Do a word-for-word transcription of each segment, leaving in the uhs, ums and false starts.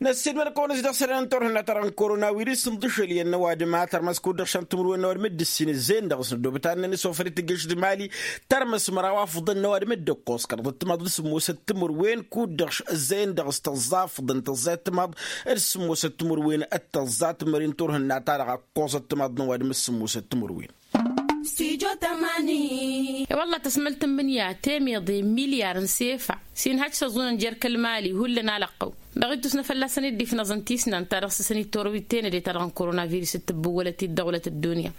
Ăssiilmăd-kăwăn-s dăɣ-isălan n-turhǝnna-ta-dăɣ n-korona wirǝs n-dăɣ-išăl iyyăn n-ăwadǝm a tărmăs kud-dăɣ šăn timǝrwen n-ăwadǝm dd-ǝssin ǝzzeyăn dăɣ-s n-ăddoobăt ad-năn-isofăl i-tǝjjăš d-mali. Tărmăs măraw afǝḍăn n-ăwadǝm dd-ǝkkoẓ kăraḍ ăttămaḍ d-sǝmmosăt timǝrwen kud-dăɣ ǝzzeyăn dăɣ-s tăẓẓa afǝḍăn tăẓẓa ăttămaḍ d-sǝmmosăt timǝrwen d-tăẓẓa timǝrwen n-turhǝnna-ta-dăɣ a ǝkkoẓ ăttămaḍ n-ăwadǝm d-sǝmmosăt timǝrwen. Stujo tămani. E-wălla tăsmălt n-imǝnya temeḍe milyar n-sefa s-inhăj s-ăẓunăn jer-kăl-mali hullan alăqqăw. Dăɣ-ittus n-afălla s-ăniddif n-aẓǝn tisnan ta dăɣ-s s-ănittărăw i-tenăde ta dăɣ-n koronavirus d-tǝbbǝwwălăt-dd dăɣ-wălăt ăddunya.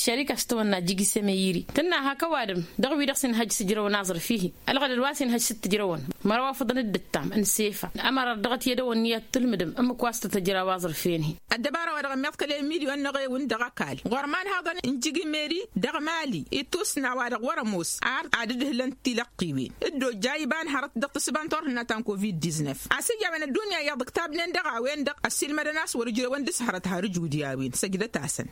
Šărik a-s tăwănna jigi s-emăyiri tǝnna hak ăwadǝm dăɣ-wi-dăɣ s-inhăj s-ǝjrăwăn aẓrǝf-ihin. Ălɣădăd wa s-inhăj s-t-ǝjrăwăn măraw afǝḍăn dd-ǝttam n-sefa. Ămărar dăɣ-t i-ad-ăwănni ad-tǝlmǝdăm ǝmmǝk wa s-tăt-ăjraw aẓrǝf-en-hi. Ăddăbara wa dăɣ-ămmiḍkăl i-milyon n-eɣewǝn dăɣ-ăkall ɣur-imanhaḍăn n-jigi meri dăɣ-mali ittusna wa dăɣ-wăr-ămoos ar ad-ǝdhǝlăn tilăqqiwen. Dd-ojja iba n-hărăt dăɣ-tǝssǝba n-turhǝnna ta n-covid-diznef a-s ija a-wen ăddunya iyyăḍ ǝktabnen dăɣ-a-wen-dăɣ ăssiilmădăn a-s wăr-ǝjrewăn d-asǝhărăt har ǝjud i-a-wen săjdăt-asăn.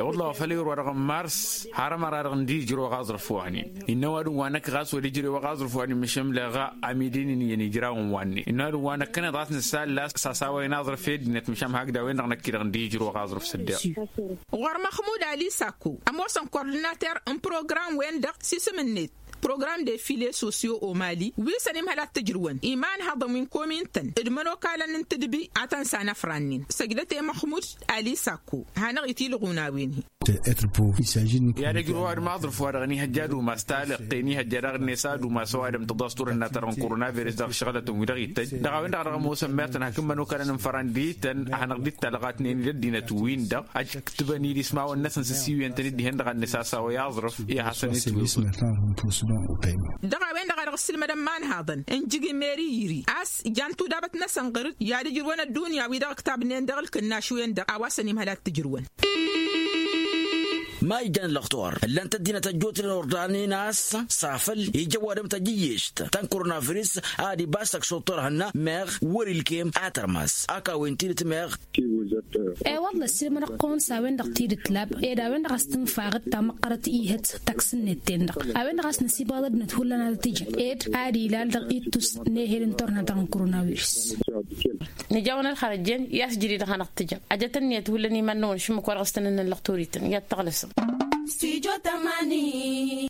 Iwăḍla wa făl irwa dăɣ-n mars har ămăra-dăɣ n-dd-ijrăw aẓrǝf-wa-nin. Innă ăwadǝm wa năkk ɣas wăr-ijrăw aẓrǝf-wa-nin măšan leɣa amidin-in iyyăn ijrawăn wa-nin innă ăwadǝm wa năkkăneḍ ɣas nǝsalla s-asawăyăn aẓrǝf i-ăddinăt măšan hakd a-wen-dăɣ năkk-i-dăɣ n-dd-ijrăw aẓrǝf s-ăddeɣ. Ɣur-măxmud ali sakko ămoosăn kordinater n-program-wen-dăɣ s-isǝm-net program de file sosyo omali wi s-ănimhăl ad-t-ǝjrǝwăn imanhăḍăn wi n-komin-tăn d-imănokalăn n-tǝdbi a tăn-sanăfrannen săjdăt i-măxmud ali sakko. Hanăɣ-itilɣun a-wen-hi. I-ad-ăjrǝw ad-maẓrǝf wa-dăɣ ănihăjja ad-umas talăqqe ănihăjja daɣ-net ad-umas ăwadǝm tăḍas turhǝnna-ta-dăɣ n-koronavirus dăɣ-ǝššăɣǝlătăn-wi-dăɣ ittăjj dăɣ-a-wen-dăɣ a dăɣ-ămoosăn mertăn hak n-imănokalăn n-fărăn d-ităn ad-hanăɣ-dd-ittalɣatnen i-ăddinăt-win-dăɣ. Ăjkǝtbăn-dd ismawăn-năsăn s-ǝssiwǝyăn-tăn-dd dihen-dăɣ ad-nǝsasawăy aẓrǝf. I-ad-hasăn-itwǝyǝwǝl. Dăɣ-a-wen-dăɣ a dăɣ-ǝssǝlmădăn imanhaḍăn n-jigi meri iri a-s jan tudabăt-năsăn ɣăr-dd i-ad-ǝjrǝwăn ăddunya wi-dăɣ ǝktabnen dăɣ-ǝlkǝnnaš-wen-dăɣ a-wa s-ănimhăl ad-t-ǝjrǝwăn. Ma ijjan ăllăxtor ǝllan-t ăddinăt ăjjootnen ordanen a-s s-afăl ija ăwadǝm tajǝyyešt ta n-koronavirus ad-ibas ăkšuḍ turhǝnna meɣ wăr-ilkem a tărmas. Ak a-wen tidǝt meɣ. E-wălla ăssiilmădăɣ-kăwăn s-a-wen-dăɣ tidǝt lab ed a-wen-dăɣ a-s tǝnfaɣ d-tamăqqărăt ihăt taksǝnnet-ten-dăɣ a-wen-dăɣ a-s năsibăɣăḍ ăddinăt hullan ad-t-ijăn ed ad-ilal dăɣ-ittus n-ehel n-turhǝnna ta n-koronavirus. Nǝja-wăn ălxărăjjen i-a-s jădid ad-hanăɣ-t-tǝjăm ăjăt ǝnniyăt hullan iman-năwăn šǝmmǝk wa dăɣ-s tăn-ănnăllăɣ torităn i-ad-tăɣlăsăm. Stujo tămani.